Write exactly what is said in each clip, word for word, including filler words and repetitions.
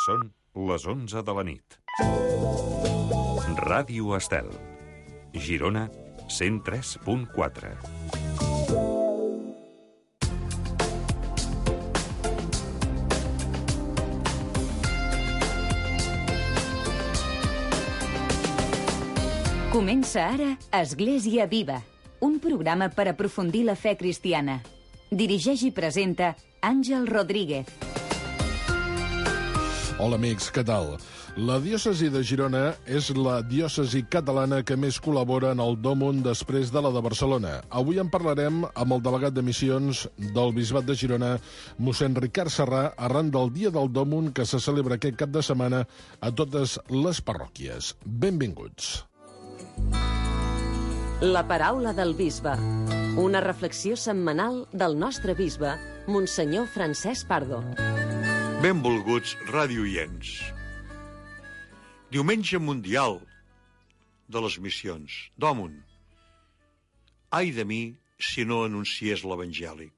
Són les onze de la nit. Ràdio Estel. Girona, cent tres punt quatre. Comença ara Església Viva, un programa per aprofundir la fe cristiana. Dirigeix i presenta Àngel Rodríguez. Hola amics, què tal? La diòcesi de Girona és la diòcesi catalana que més col·labora en el Dòmund després de la de Barcelona. Avui en parlarem amb el delegat de missions del Bisbat de Girona, mossèn Ricard Serrà, arran del Dia del Dòmund que se celebra aquest cap de setmana a totes les parròquies. Benvinguts. La paraula del bisbe. Una reflexió setmanal del nostre bisbe, Monsenyor Francesc Pardo. Benvolguts radioients. Diumenge Mundial de les Missions, Dòmund. Ai de mi si no anunciés l'Evangeli.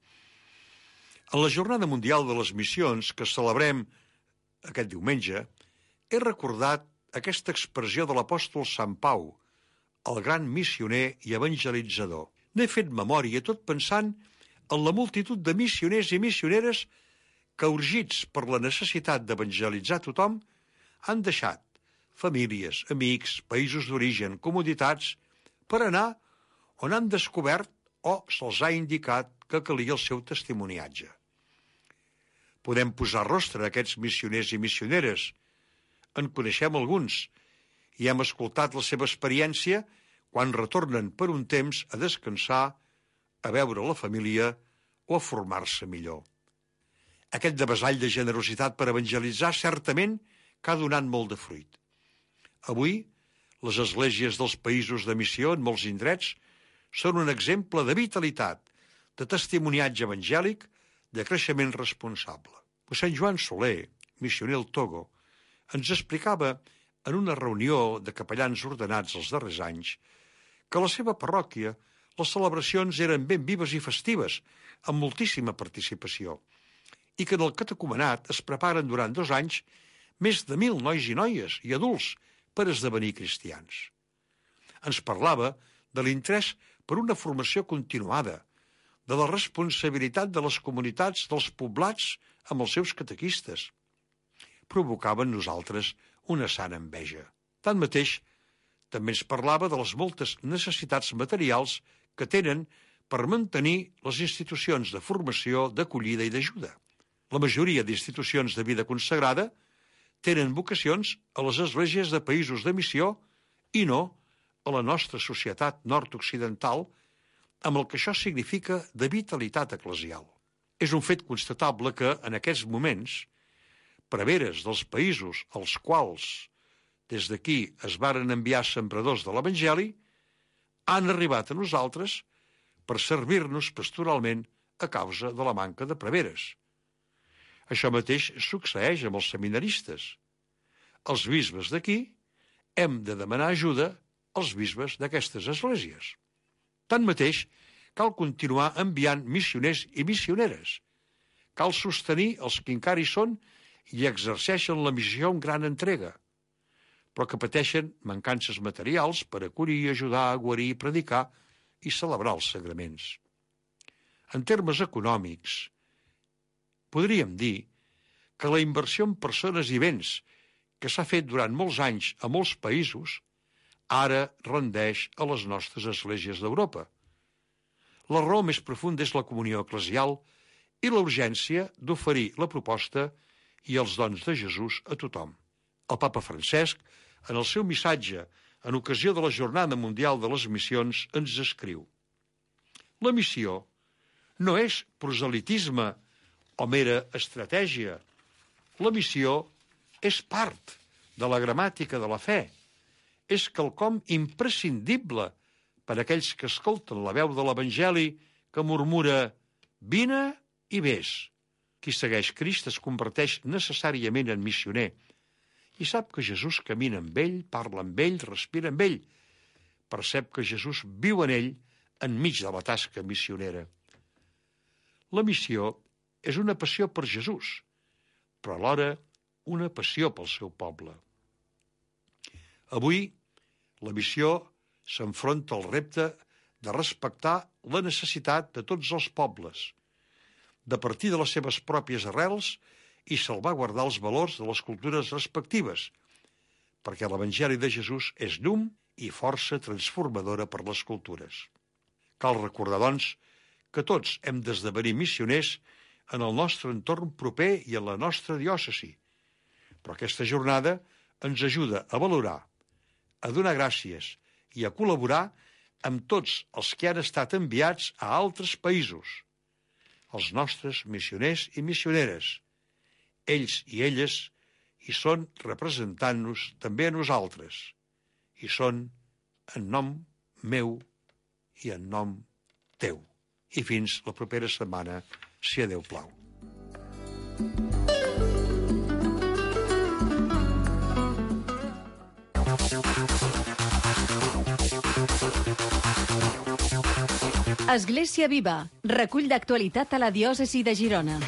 En la Jornada Mundial de les Missions que celebrem aquest diumenge, he recordat aquesta expressió de l'apòstol Sant Pau, el gran missioner i evangelitzador. N'he fet memòria tot pensant en la multitud de missioners i missioneres que, urgits per la necessitat d'evangelitzar tothom, han deixat famílies, amics, països d'origen, comoditats, per anar on han descobert o se'ls ha indicat que calia el seu testimoniatge. Podem posar rostre a aquests missioners i missioneres. En coneixem alguns i hem escoltat la seva experiència quan retornen per un temps a descansar, a veure la família o a formar-se millor. Aquest devessall de generositat per evangelitzar certament que ha donat molt de fruit. Avui, les esglésies dels països de missió en molts indrets són un exemple de vitalitat, de testimoniatge evangèlic, de creixement responsable. Mossèn Joan Soler, missioner al Togo, ens explicava en una reunió de capellans ordenats els darrers anys que a la seva parròquia les celebracions eren ben vives i festives, amb moltíssima participació, i que en el catecumenat es preparen durant dos anys més de mil nois i noies i adults per esdevenir cristians. Ens parlava de l'interès per una formació continuada, de la responsabilitat de les comunitats dels poblats amb els seus catequistes. Provocava en nosaltres una sana enveja. Tanmateix, també ens parlava de les moltes necessitats materials que tenen per mantenir les institucions de formació, d'acollida i d'ajuda. La majoria d'institucions de vida consagrada tenen vocacions a les esglésies de països de missió i no a la nostra societat nord-occidental, amb el que això significa de vitalitat eclesial. És un fet constatable que, en aquests moments, preveres dels països als quals des d'aquí es varen enviar sembradors de l'Evangeli, han arribat a nosaltres per servir-nos pastoralment a causa de la manca de preveres. Això mateix succeeix amb els seminaristes. Els bisbes d'aquí hem de demanar ajuda als bisbes d'aquestes esglésies. Tanmateix, cal continuar enviant missioners i missioneres. Cal sostenir els que encara hi són i exerceixen la missió amb gran entrega, però que pateixen mancances materials per acollir, ajudar, guarir, predicar i celebrar els sagraments. En termes econòmics, podríem dir que la inversió en persones i béns que s'ha fet durant molts anys a molts països ara rendeix a les nostres esglésies d'Europa. La raó més profunda és la comunió eclesial i la urgència d'oferir la proposta i els dons de Jesús a tothom. El papa Francesc, en el seu missatge en ocasió de la Jornada Mundial de les Missions, ens escriu: la missió no és proselitisme o mera estratègia. La missió és part de la gramàtica de la fe. És quelcom imprescindible per a aquells que escolten la veu de l'Evangeli que murmura «Vine i vés». Qui segueix Crist es converteix necessàriament en missioner i sap que Jesús camina amb ell, parla amb ell, respira amb ell. Percep que Jesús viu en ell enmig de la tasca missionera. La missió és una passió per Jesús, però alhora una passió pel seu poble. Avui, la missió s'enfronta al repte de respectar la necessitat de tots els pobles, de partir de les seves pròpies arrels i salvaguardar els valors de les cultures respectives, perquè l'Evangeli de Jesús és llum i força transformadora per les cultures. Cal recordar, doncs, que tots hem d'esdevenir missioners en el nostre entorn proper i en la nostra diòcesi, però aquesta jornada ens ajuda a valorar, a donar gràcies i a col·laborar amb tots els que han estat enviats a altres països, els nostres missioners i missioneres. Ells i elles hi són representant-nos també a nosaltres, i són en nom meu i en nom teu. I fins la propera setmana, si a Déu plau. Església Viva, recull d'actualitat a la diòcesi de Girona.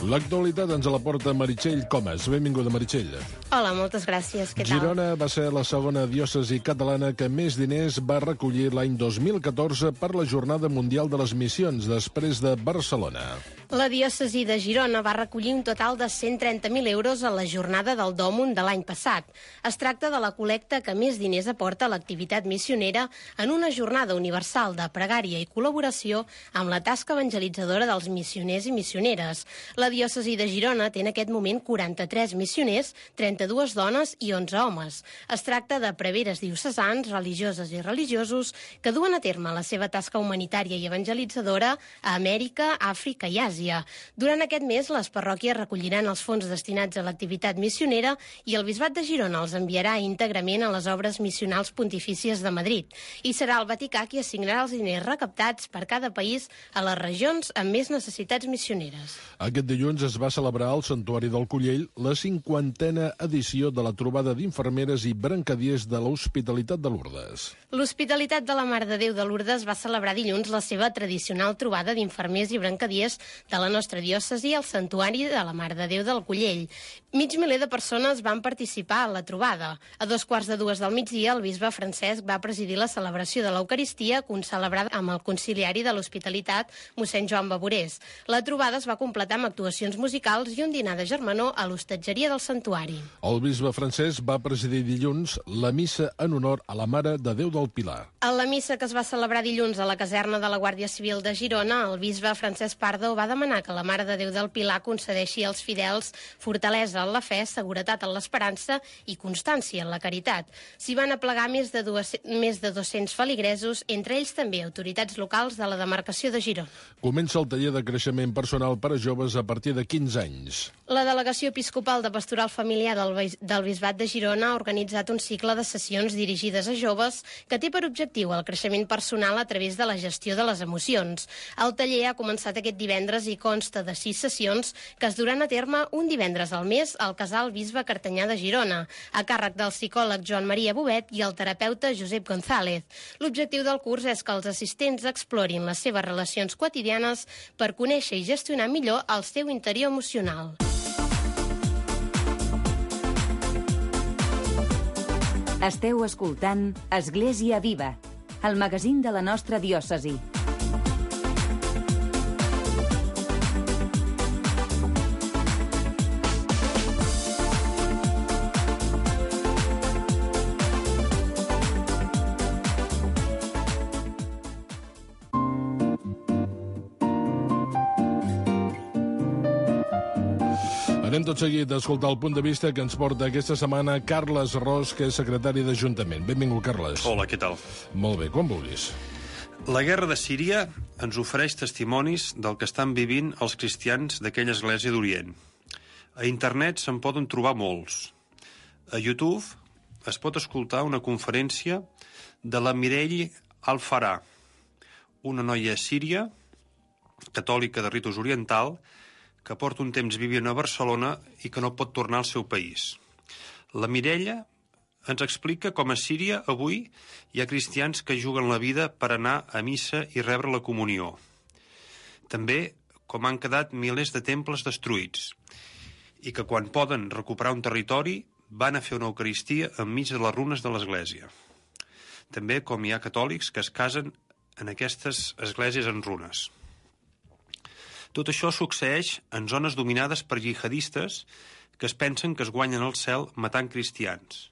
L'actualitat ens la porta Meritxell Comas. Benvinguda, Meritxell. Hola, moltes gràcies. Què tal? Girona va ser la segona diòcesi catalana que més diners va recollir l'any dos mil catorze per la Jornada Mundial de les Missions, després de Barcelona. La diòcesi de Girona va recollir un total de cent trenta mil euros a la jornada del Dòmun de l'any passat. Es tracta de la col·lecta que més diners aporta a l'activitat missionera en una jornada universal de pregària i col·laboració amb la tasca evangelitzadora dels missioners i missioneres. La diòcesi de Girona té en aquest moment quaranta-tres missioners, trenta-dues dones i onze homes. Es tracta de preveres diocesans, religioses i religiosos que duen a terme la seva tasca humanitària i evangelitzadora a Amèrica, Àfrica i Àsia. Durant aquest mes, les parròquies recolliran els fons destinats a l'activitat missionera i el Bisbat de Girona els enviarà íntegrament a les obres missionals pontifícies de Madrid. I serà el Vaticà qui assignarà els diners recaptats per cada país a les regions amb més necessitats missioneres. Aquest dilluns es va celebrar al Santuari del Collell la cinquantena edició de la trobada d'infermeres i brancadiers de l'Hospitalitat de Lourdes. L'Hospitalitat de la Mare de Déu de Lourdes va celebrar dilluns la seva tradicional trobada d'infermers i brancadiers de la nostra diòcesi al Santuari de la Mare de Déu del Collell. Mig miler de persones van participar a la trobada. A dos quarts de dues del migdia, el bisbe Francesc va presidir la celebració de l'Eucaristia, concelebrada amb el conciliari de l'Hospitalitat, mossèn Joan Bavorés. La trobada es va completar amb actuacions musicals i un dinar de germanor a l'hostatgeria del santuari. El bisbe Francesc va presidir dilluns la missa en honor a la Mare de Déu del Pilar. En la missa que es va celebrar dilluns a la caserna de la Guàrdia Civil de Girona, el bisbe Francesc Pardo va demanar que la Mare de Déu del Pilar concedeixi als fidels fortalesa en la fe, seguretat en l'esperança i constància en la caritat. S'hi van aplegar més de, dues, més de dos-cents feligresos, entre ells també autoritats locals de la demarcació de Girona. Comença el taller de creixement personal per a joves a partir de quinze anys. La Delegació Episcopal de Pastoral Familiar del, del Bisbat de Girona ha organitzat un cicle de sessions dirigides a joves que té per objectiu el creixement personal a través de la gestió de les emocions. El taller ha començat aquest divendres i consta de sis sessions que es duran a terme un divendres al mes al Casal Bisbe Cartanyà de Girona, a càrrec del psicòleg Joan Maria Bobet i el terapeuta Josep González. L'objectiu del curs és que els assistents explorin les seves relacions quotidianes per conèixer i gestionar millor el seu interior emocional. Esteu escoltant Església Viva, el magazín de la nostra diòcesi. Anem tot seguit a escoltar el punt de vista que ens porta aquesta setmana Carles Ros, que és secretari d'Ajuntament. Benvingut, Carles. Hola, què tal? Molt bé, quan vulguis. La guerra de Síria ens ofereix testimonis del que estan vivint els cristians d'aquella església d'Orient. A internet se'n poden trobar molts. A YouTube es pot escoltar una conferència de la Mireille Al-Farah, una noia síria, catòlica de ritus oriental, que porta un temps vivint a Barcelona i que no pot tornar al seu país. La Mireia ens explica com a Síria avui hi ha cristians que juguen la vida per anar a missa i rebre la comunió. També com han quedat milers de temples destruïts i que quan poden recuperar un territori van a fer una eucaristia enmig de les runes de l'església. També com hi ha catòlics que es casen en aquestes esglésies en runes. Tot això succeeix en zones dominades per jihadistes que es pensen que es guanyen el cel matant cristians,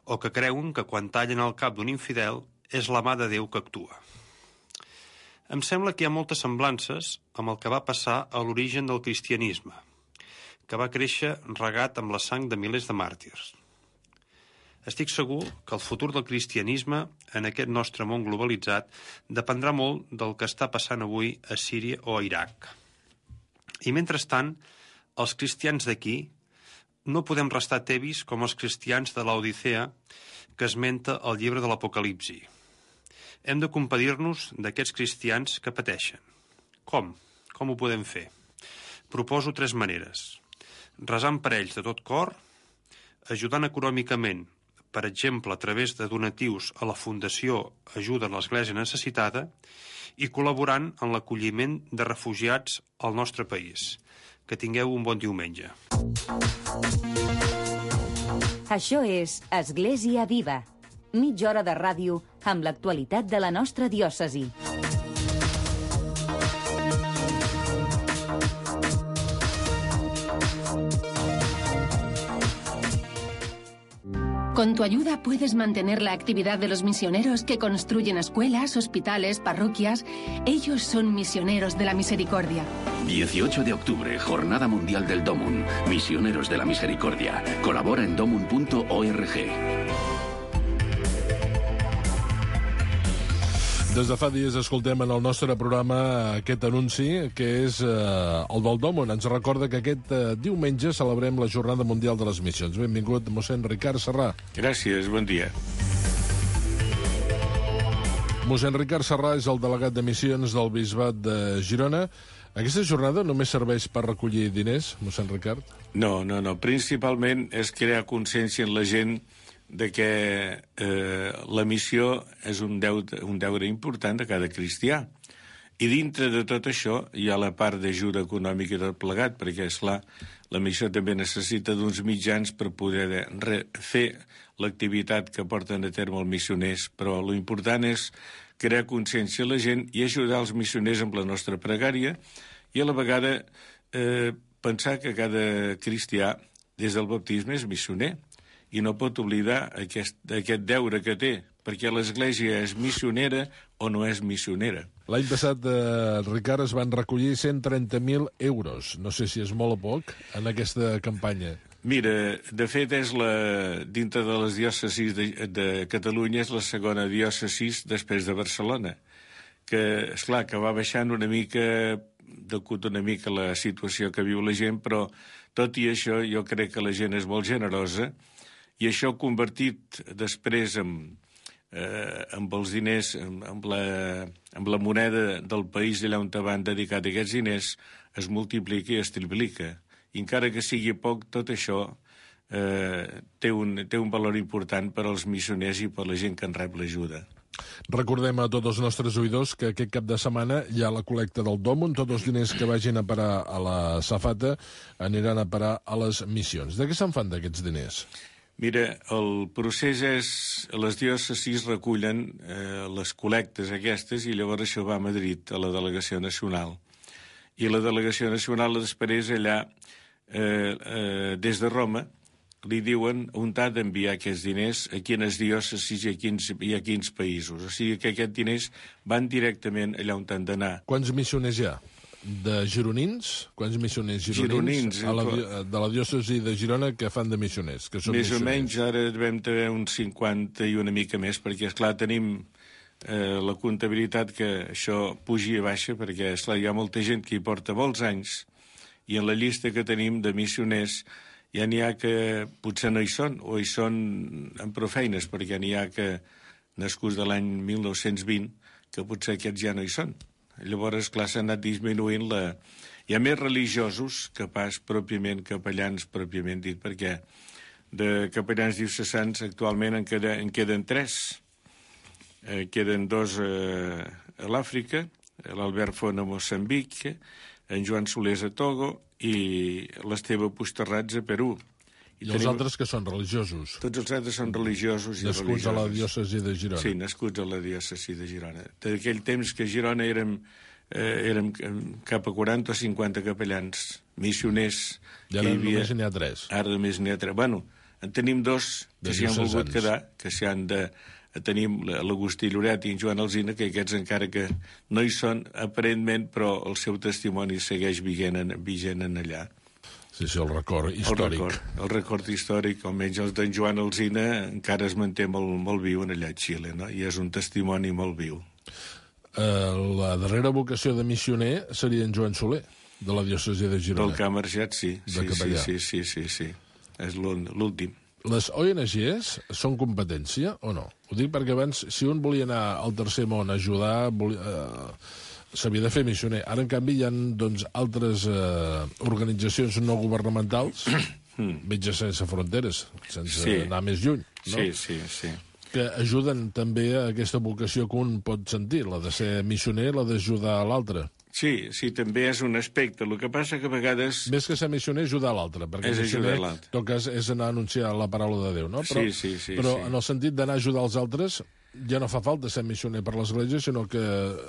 o que creuen que quan tallen el cap d'un infidel és la mà de Déu que actua. Em sembla que hi ha moltes semblances amb el que va passar a l'origen del cristianisme, que va créixer regat amb la sang de milers de màrtirs. Estic segur que el futur del cristianisme en aquest nostre món globalitzat dependrà molt del que està passant avui a Síria o a Iraq. I mentrestant, els cristians d'aquí no podem restar tebis com els cristians de l'Odissea que esmenta el llibre de l'Apocalipsi. Hem de compadir-nos d'aquests cristians que pateixen. Com? Com ho podem fer? Proposo tres maneres. Resant per ells de tot cor, ajudant econòmicament, per exemple, a través de donatius a la Fundació Ajuda a l'Església Necessitada, i col·laborant en l'acolliment de refugiats al nostre país. Que tingueu un bon diumenge. Això és Església Viva. Mitja hora de ràdio amb l'actualitat de la nostra diòcesi. Con tu ayuda puedes mantener la actividad de los misioneros que construyen escuelas, hospitales, parroquias. Ellos son misioneros de la misericordia. dieciocho de octubre, Jornada Mundial del Domun. Misioneros de la Misericordia. Colabora en domun punto org. Des de fa dies escoltem en el nostre programa aquest anunci, que és eh, el del Domun. Ens recorda que aquest eh, diumenge celebrem la Jornada Mundial de les Missions. Benvingut, mossèn Ricard Serrà. Gràcies, bon dia. Mossèn Ricard Serrà és el delegat de missions del Bisbat de Girona. Aquesta jornada només serveix per recollir diners, mossèn Ricard? No, no, no. Principalment és crear consciència en la gent de que eh, la missió és un deure, un deure important de cada cristià. I dintre de tot això hi ha la part d'ajuda econòmica i tot plegat, perquè, esclar, la missió també necessita d'uns mitjans per poder fer l'activitat que porten a terme els missioners, però l'important és crear consciència a la gent i ajudar els missioners amb la nostra pregària i a la vegada eh, pensar que cada cristià, des del baptisme, és missioner i no pot oblidar aquest, aquest deure que té, perquè l'Església és missionera o no és missionera. L'any passat, eh, Ricard, es van recollir cent trenta mil euros. No sé si és molt o poc en aquesta campanya. Mira, de fet, és la, dintre de les diòcesis de, de Catalunya, és la segona diòcesis després de Barcelona, que, esclar, que va baixant una mica, degut una mica la situació que viu la gent, però tot i això jo crec que la gent és molt generosa, i això convertit després amb, eh, amb els diners, amb, amb, la, amb la moneda del país allà on van dedicat aquests diners, es multiplica i es triplica. I encara que sigui poc, tot això eh, té, un, té un valor important per als missioners i per la gent que en rep l'ajuda. Recordem a tots els nostres oïdors que aquest cap de setmana hi ha la col·lecta del Domun. Tots els diners que vagin a parar a la safata aniran a parar a les missions. De què se'n fan d'aquests diners? Mira, el procés és... Les diòcesis recullen eh, les col·lectes aquestes i llavors això va a Madrid, a la delegació nacional. I la delegació nacional després allà, eh, eh, des de Roma, li diuen on ha d'enviar aquests diners, a quines diòcesis i a quins, i a quins països. O sigui que aquests diners van directament allà on han d'anar. Quants missioners hi ha? De gironins? Quants missioners gironins, gironins a la, de la diòcesi de Girona que fan de missioners? Que són més missioners. o menys, ara devem tenir uns cinquanta i una mica més, perquè, esclar, tenim eh, la comptabilitat que això pugi i baixa, perquè, esclar, hi ha molta gent que hi porta molts anys, i en la llista que tenim de missioners ja n'hi ha que potser no hi són, o hi són amb prou feines, perquè n'hi ha que, nascuts de l'any mil nou-cents vint, que potser aquests ja no hi són. Llavors, clar, s'ha anat disminuint la... Hi ha més religiosos que pas pròpiament capellans pròpiament dit, perquè de capellans diocesans actualment en, queda, en queden tres. Eh, queden dos eh, a l'Àfrica, l'Albert Font a Moçambic, en Joan Solés a Togo i l'Esteve Puigterrats a Perú. I, I els tenim... altres que són religiosos? Tots els altres són religiosos i nascuts religiosos. Nascuts a la diòcesi de Girona? Sí, nascuts a la diòcesi de Girona. D'aquell temps que a Girona érem, eh, érem cap a quaranta o cinquanta capellans, missioners. I ara només n'hi ha tres? Ara només n'hi ha tres. Bueno, en tenim dos que s'hi han volgut quedar, que s'hi han de... Tenim l'Agustí Lloret i en Joan Alsina, que aquests encara que no hi són aparentment, però el seu testimoni segueix vigent, vigent en allà. Sí, sí, el record històric. El record, el record històric, almenys el d'en Joan Alsina, encara es manté molt, molt viu en allà a Xile, no? I és un testimoni molt viu. Uh, la darrera vocació de missioner seria en Joan Soler, de la diòcesi de Girona. Del que ha marxat, sí. De sí, capellà. Sí, sí, sí, sí, sí. És l'últim. Les O N Ges són competència o no? Ho dic perquè abans, si un volia anar al tercer món a ajudar, volia, eh, s'havia de fer missioner. Ara, en canvi, hi ha doncs, altres eh, organitzacions no governamentals, Metges Sense Fronteres, sense sí. anar més lluny, no? Sí, sí, sí. Que ajuden també a aquesta vocació que un pot sentir, la de ser missioner, la d'ajudar a l'altre. Sí, sí, també és un aspecte. El que passa que a vegades... Més que ser missioner, ajudar l'altre, perquè és missioner, ajudar l'altre. En tot cas, és anar a anunciar la paraula de Déu, no? Però, sí, sí, sí. Però sí. en el sentit d'anar a ajudar els altres, ja no fa falta ser missioner per l'Església, sinó que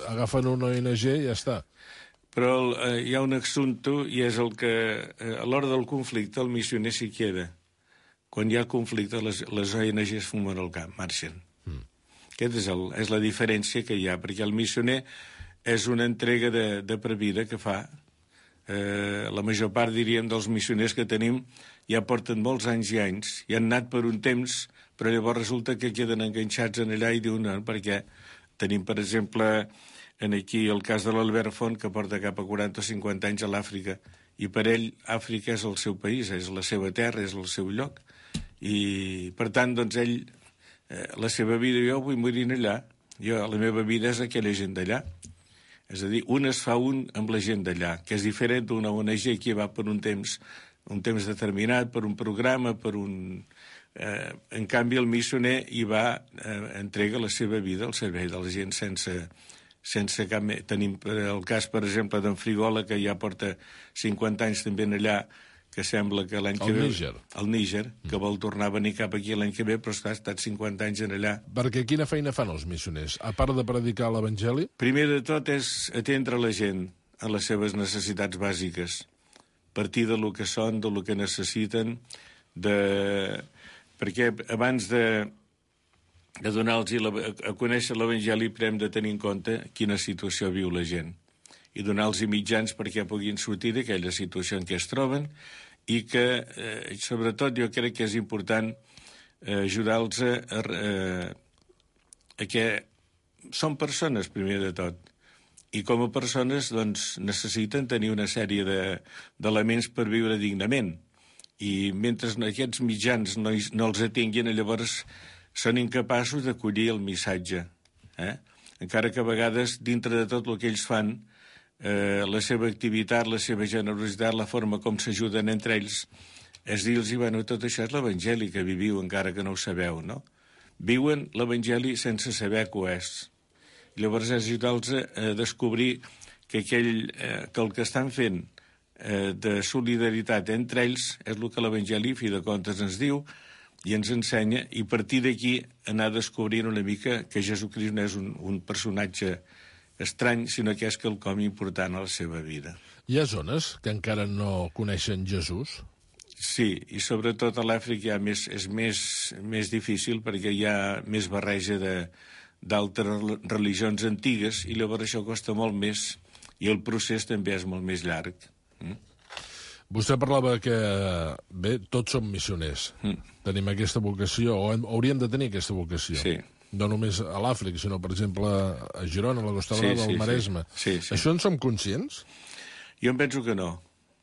agafen una O N G i ja està. Però eh, hi ha un assumpte, i és el que eh, a l'hora del conflicte el missioner s'hi queda. Quan hi ha conflicte, les, les O N Gs fumen al camp, marxen. Mm. Aquesta és, el, és la diferència que hi ha, perquè el missioner és una entrega de, de per vida que fa. Eh, la major part, diríem, dels missioners que tenim ja porten molts anys i anys, i han anat per un temps, però llavors resulta que queden enganxats en allà i diuen no, perquè tenim, per exemple, en aquí el cas de l'Albert Font, que porta cap a quaranta o cinquanta anys a l'Àfrica, i per ell Àfrica és el seu país, és la seva terra, és el seu lloc, i per tant, doncs, ell, eh, la seva vida, jo vull morir allà, jo, la meva vida és aquella gent d'allà. És a dir, un es fa un amb la gent d'allà, que és diferent d'una O N G que va per un temps, un temps determinat, per un programa, per un... Eh, en canvi, el missioner hi va, eh, entrega la seva vida al servei de la gent sense, sense cap... Tenim el cas, per exemple, d'en Frigola, que ja porta cinquanta anys també en allà, que sembla que l'any que ve... El Níger. El Níger, que vol tornar a venir cap aquí l'any que ve, però està, ha estat cinquanta anys en allà. Perquè quina feina fan els missioners? A part de predicar l'Evangeli? Primer de tot és atendre la gent en les seves necessitats bàsiques. Partir de lo que són, de lo que necessiten, de... perquè abans de, de donar-los a conèixer l'Evangeli hem de tenir en compte quina situació viu la gent i donar-los mitjans perquè puguin sortir d'aquella situació en què es troben i que, eh, sobretot, jo crec que és important eh, ajudar-los a, a, a que són persones, primer de tot, i com a persones doncs, necessiten tenir una sèrie d'elements de, per viure dignament. I mentre aquests mitjans no, no els atinguin, llavors són incapaços d'acollir el missatge. Eh? Encara que a vegades, dintre de tot el que ells fan, Eh, la seva activitat, la seva generositat, la forma com s'ajuden entre ells, és dir-los, bueno, tot això és l'Evangeli que viviu, encara que no ho sabeu, no? Viuen l'Evangeli sense saber què és. I llavors és ajudar-los a descobrir que, aquell, eh, que el que estan fent eh, de solidaritat entre ells és el que l'Evangeli, fi de comptes, ens diu i ens ensenya, i a partir d'aquí anar descobrint una mica que Jesucrist no és un, un personatge estrany, sinó que és quelcom important a la seva vida. Hi ha zones que encara no coneixen Jesús? Sí, i sobretot a l'Àfrica més, és més, més difícil perquè hi ha més barreja d'altres religions antigues i llavors això costa molt més i el procés també és molt més llarg. Mm? Vostè parlava que, bé, tots som missioners. Mm. Tenim aquesta vocació, o hauríem de tenir aquesta vocació. Sí. No només a l'Àfrica, sinó, per exemple, a Girona, a la Costa Brava, sí, sí, al Maresme. Sí, sí. Això en som conscients? Jo em penso que no.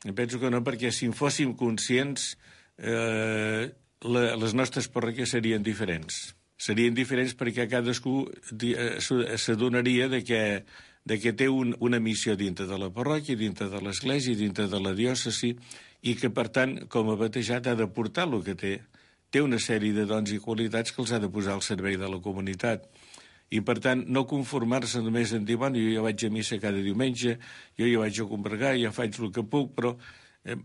Em penso que no, perquè si en fóssim conscients, eh, la, les nostres parròquies serien diferents. Serien diferents perquè cadascú s'adonaria de que, de que té un, una missió dintre de la parròquia, dintre de l'església, dintre de la diòcesi, i que, per tant, com a batejat ha de portar el que té. Té una sèrie de dons i qualitats que els ha de posar al servei de la comunitat. I, per tant, no conformar-se només en dir, bueno, jo ja vaig a missa cada diumenge, jo ja vaig a congregar, ja faig el que puc, però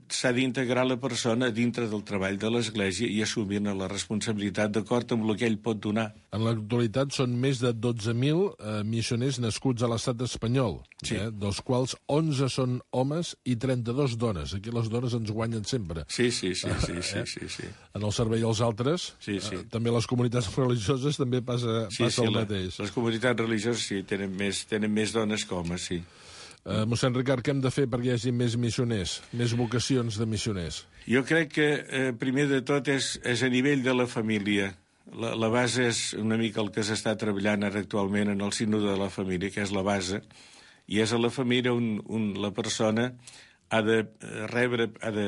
s'ha d'integrar la persona dintre del treball de l'Església i assumir-ne la responsabilitat d'acord amb el que ell pot donar. En l'actualitat són més de dotze mil eh, missioners nascuts a l'estat espanyol, sí. eh, dels quals onze són homes i trenta-dos dones. Aquí les dones ens guanyen sempre. Sí, sí, sí. sí, sí, eh? sí, sí. En el servei als altres, sí, sí. Eh, també les comunitats religioses també passa, sí, passa sí, el la, mateix. Les comunitats religioses sí, tenen més, tenen més dones que homes, sí. Uh, mossèn Ricard, què hem de fer perquè hi hagi més missioners, més vocacions de missioners? Jo crec que, eh, primer de tot, és, és a nivell de la família. La, la base és una mica el que s'està treballant ara actualment en el sínode de la família, que és la base, i és a la família on, on la persona ha de rebre, ha de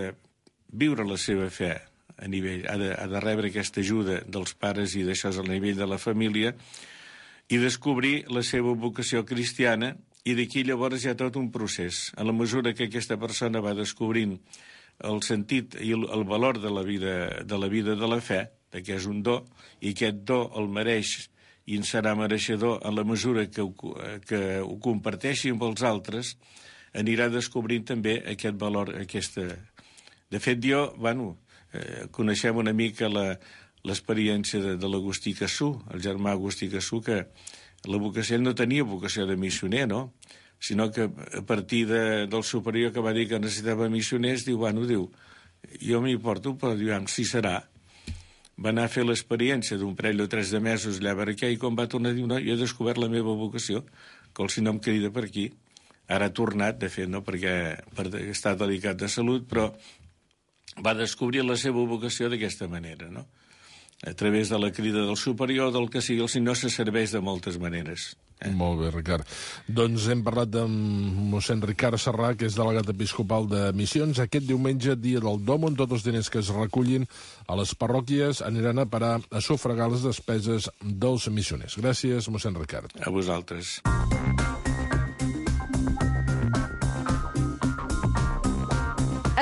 viure la seva fe a nivell, ha de, ha de rebre aquesta ajuda dels pares, i d'això és a nivell de la família, i descobrir la seva vocació cristiana. I d'aquí llavors hi ha tot un procés. A la mesura que aquesta persona va descobrint el sentit i el, el valor de la vida de la vida de la fe, que és un do, i aquest do el mereix i en serà mereixedor en la mesura que ho, que ho comparteixi amb els altres, anirà descobrint també aquest valor, aquesta... De fet, jo, bueno, eh, coneixem una mica l'experiència de, de l'Agustí Cassú, el germà Agustí Cassú, que la vocació, ell no tenia vocació de missioner, no? Sinó que a partir de, del superior que va dir que necessitava missioners, diu, bueno, diu, jo m'hi porto, però diu, si serà. Va anar a fer l'experiència d'un parell o tres de mesos allà per aquí, i quan va tornar, diu, no, jo he descobert la meva vocació, que si no em crida per aquí. Ara ha tornat, de fet, no?, perquè per estar delicat de salut, però va descobrir la seva vocació d'aquesta manera, no? A través de la crida del superior, del que sigui, el senyor se serveix de moltes maneres. Eh? Molt bé, Ricard. Doncs hem parlat amb mossèn Ricard Serrà, que és delegat episcopal de Missions. Aquest diumenge, dia del Dòmon, tots els diners que es recullin a les parròquies aniran a parar a sufragar les despeses dels missioners. Gràcies, mossèn Ricard. A vosaltres.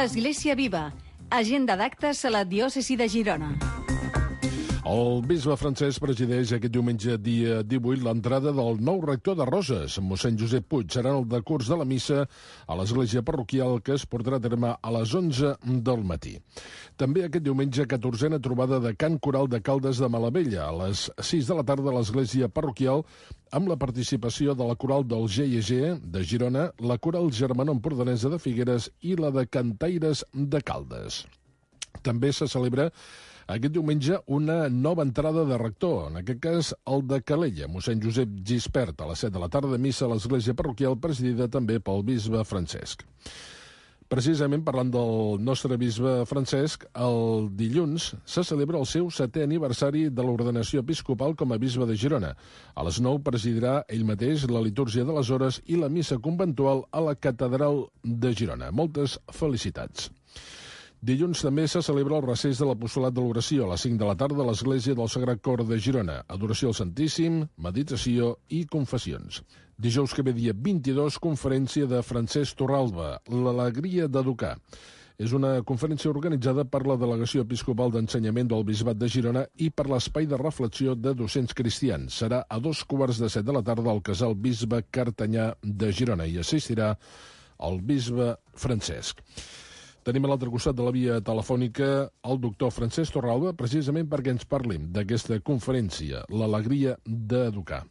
Església Viva. Agenda d'actes a la diòcesi de Girona. El bisbe Francesc presideix aquest diumenge, dia divuit, l'entrada del nou rector de Roses, mossèn Josep Puig. Serà el decurs de la missa a l'església parroquial, que es portarà a terme a les onze del matí. També aquest diumenge, catorzena trobada de cant coral de Caldes de Malavella, a les sis de la tarda a l'església parroquial, amb la participació de la coral del G I G de Girona, la coral germana empordanesa de Figueres i la de Cantaires de Caldes. També se celebra aquest diumenge una nova entrada de rector, en aquest cas el de Calella, mossèn Josep Gispert, a les set de la tarda, missa a l'església parroquial, presidida també pel bisbe Francesc. Precisament parlant del nostre bisbe Francesc, el dilluns se celebra el seu setè aniversari de l'ordenació episcopal com a bisbe de Girona. A les nou presidirà ell mateix la litúrgia de les hores i la missa conventual a la catedral de Girona. Moltes felicitats. Dilluns també se celebra el recés de l'apostolat de l'oració a les cinc de la tarda a l'església del Sagrat Cor de Girona. Adoració al Santíssim, meditació i confessions. Dijous que ve, dia vint-i-dos, conferència de Francesc Torralba, l'alegria d'educar. És una conferència organitzada per la Delegació Episcopal d'Ensenyament del Bisbat de Girona i per l'Espai de Reflexió de Docents Cristians. Serà a dos quarts de set de la tarda al Casal Bisbe Cartanyà de Girona i assistirà el bisbe Francesc. Tenim a l'altre costat de la via telefònica el doctor Francesc Torralba, precisament perquè ens parlim d'aquesta conferència, l'alegria d'educar.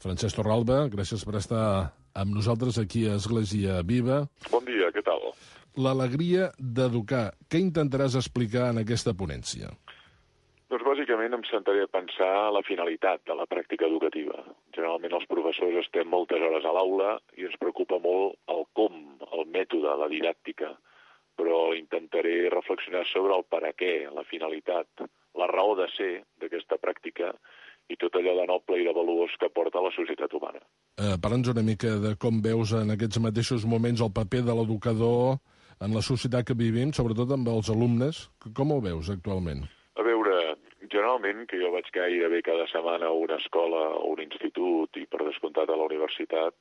Francesc Torralba, gràcies per estar amb nosaltres aquí a Església Viva. Bon dia, què tal? L'alegria d'educar. Què intentaràs explicar en aquesta ponència? Doncs bàsicament em sentaré a pensar la finalitat de la pràctica educativa. Generalment els professors estem moltes hores a l'aula i ens preocupa molt el com, el mètode, la didàctica, però intentaré reflexionar sobre el per a què, la finalitat, la raó de ser d'aquesta pràctica i tot allò de noble i de valuós que porta la societat humana. Eh, Parla'ns una mica de com veus en aquests mateixos moments el paper de l'educador en la societat que vivim, sobretot amb els alumnes. Com ho veus actualment? A veure, generalment, que jo vaig gairebé cada setmana a una escola o un institut i per descomptat a la universitat,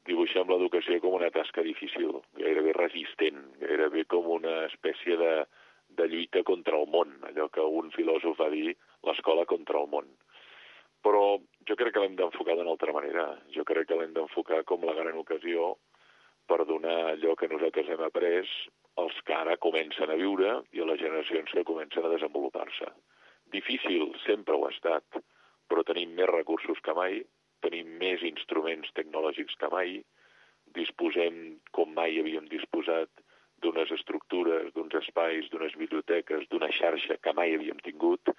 dibuixem l'educació com una tasca difícil, gairebé resistent, gairebé com una espècie de, de lluita contra el món, allò que un filòsof va dir, l'escola contra el món. Però jo crec que l'hem d'enfocar d'una altra manera. Jo crec que l'hem d'enfocar com la gran ocasió per donar allò que nosaltres hem après els que ara comencen a viure i a les generacions que comencen a desenvolupar-se. Difícil sempre ho ha estat, però tenim més recursos que mai, tenim més instruments tecnològics que mai, disposem, com mai havíem disposat, d'unes estructures, d'uns espais, d'unes biblioteques, d'una xarxa que mai havíem tingut,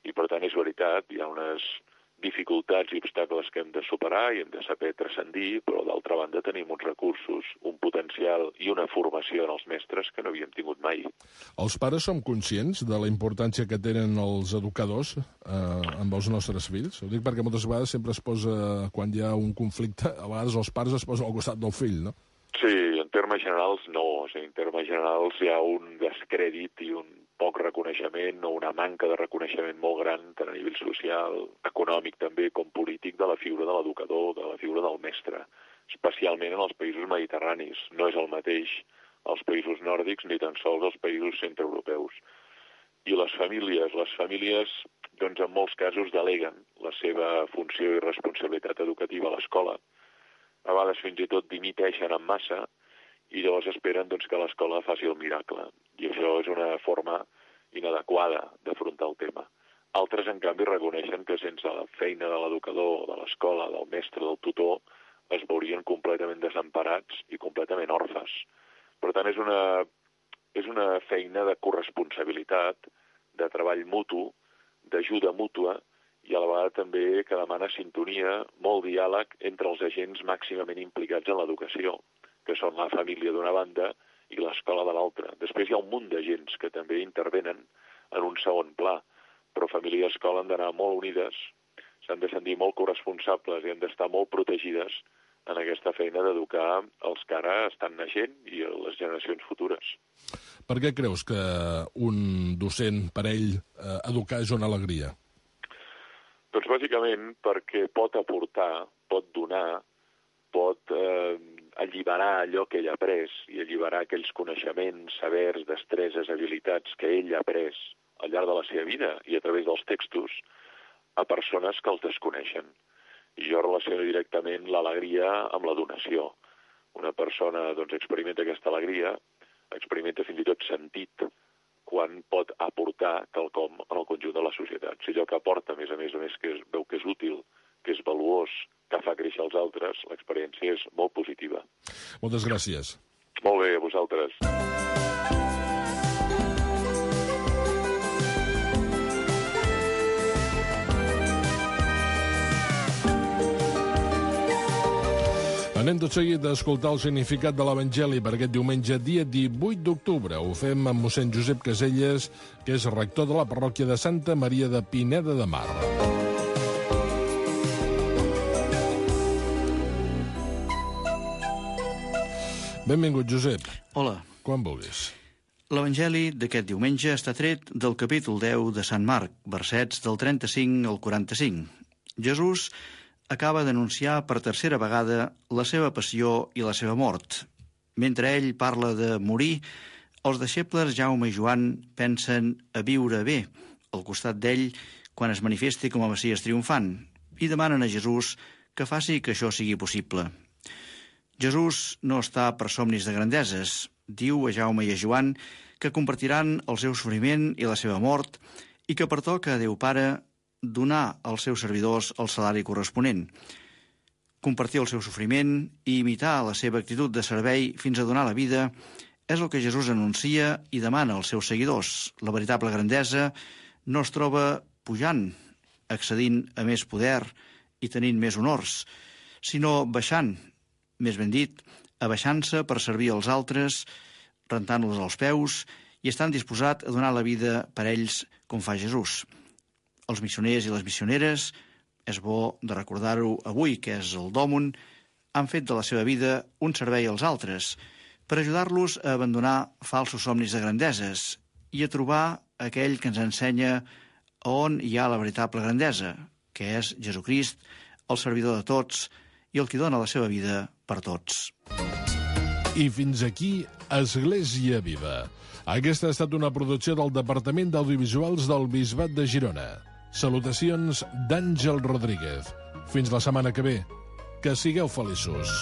i per tant és veritat, hi ha unes dificultats i obstacles que hem de superar i hem de saber transcendir, però d'altra banda tenim uns recursos, un potencial i una formació en els mestres que no havíem tingut mai. Els pares som conscients de la importància que tenen els educadors eh, amb els nostres fills? Ho dic perquè moltes vegades sempre es posa, quan hi ha un conflicte, a vegades els pares es posen al costat del fill, no? Sí, en termes generals no. O sigui, en termes generals hi ha un descrèdit i un poc reconeixement o una manca de reconeixement molt gran tant a nivell social, econòmic també, com polític, de la figura de l'educador, de la figura del mestre, especialment en els països mediterranis. No és el mateix als països nòrdics ni tan sols als països centreeuropeus. I les famílies, les famílies, doncs en molts casos deleguen la seva funció i responsabilitat educativa a l'escola. A vegades fins i tot dimiteixen en massa i llavors esperen doncs, que l'escola faci el miracle. I això és una forma inadequada d'afrontar el tema. Altres, en canvi, reconeixen que sense la feina de l'educador, de l'escola, del mestre, del tutor, es veurien completament desemparats i completament orfes. Per tant, és una, és una feina de corresponsabilitat, de treball mutu, d'ajuda mútua, i a la vegada també que demana sintonia, molt diàleg entre els agents màximament implicats en l'educació, que són la família d'una banda i l'escola de l'altra. Després hi ha un munt d'agents que també intervenen en un segon pla, però família i escola han d'anar molt unides, s'han de sentir molt corresponsables i han d'estar molt protegides en aquesta feina d'educar els que ara estan naixent i les generacions futures. Per què creus que un docent, per ell, eh, educar és una alegria? Doncs bàsicament perquè pot aportar, pot donar, pot eh, alliberar allò que ell ha après i alliberar aquells coneixements, sabers, destreses, habilitats que ell ha après al llarg de la seva vida i a través dels textos a persones que els desconeixen. I jo relaciono directament l'alegria amb la donació. Una persona doncs, experimenta aquesta alegria, experimenta fins i tot sentit quan pot aportar quelcom en el conjunt de la societat. Si allò que aporta, a més a més, a més que es, veu que és útil, que és valuós, que fa créixer els altres, l'experiència és molt positiva. Moltes gràcies. Molt bé, a vosaltres. Anem tot seguit a escoltar el significat de l'Evangeli per aquest diumenge, dia divuit d'octubre. Ho fem amb mossèn Josep Caselles, que és rector de la parròquia de Santa Maria de Pineda de Mar. Benvingut, Josep. Hola. Quan vulguis. L'Evangeli d'aquest diumenge està tret del capítol deu de Sant Marc, versets del trenta-cinc al quaranta-cinc. Jesús acaba d'anunciar per tercera vegada la seva passió i la seva mort. Mentre ell parla de morir, els deixebles Jaume i Joan pensen a viure bé al costat d'ell quan es manifesti com a Messies triomfant i demanen a Jesús que faci que això sigui possible. Jesús no està per somnis de grandeses. Diu a Jaume i a Joan que compartiran el seu sofriment i la seva mort i que pertoca a Déu Pare donar als seus servidors el salari corresponent. Compartir el seu sofriment i imitar la seva actitud de servei fins a donar la vida és el que Jesús anuncia i demana als seus seguidors. La veritable grandesa no es troba pujant, accedint a més poder i tenint més honors, sinó baixant, més ben dit, abaixant-se per servir als altres, rentant-los als peus i estant disposat a donar la vida per ells com fa Jesús. Els missioners i les missioneres, és bo de recordar-ho avui, que és el Dòmun, han fet de la seva vida un servei als altres per ajudar-los a abandonar falsos somnis de grandeses i a trobar aquell que ens ensenya on hi ha la veritable grandesa, que és Jesucrist, el servidor de tots i el qui dona la seva vida per tots. I fins aquí, Església Viva. Aquesta ha estat una producció del Departament d'Audiovisuals del Bisbat de Girona. Salutacions d'Àngel Rodríguez. Fins la setmana que ve. Que sigueu feliços.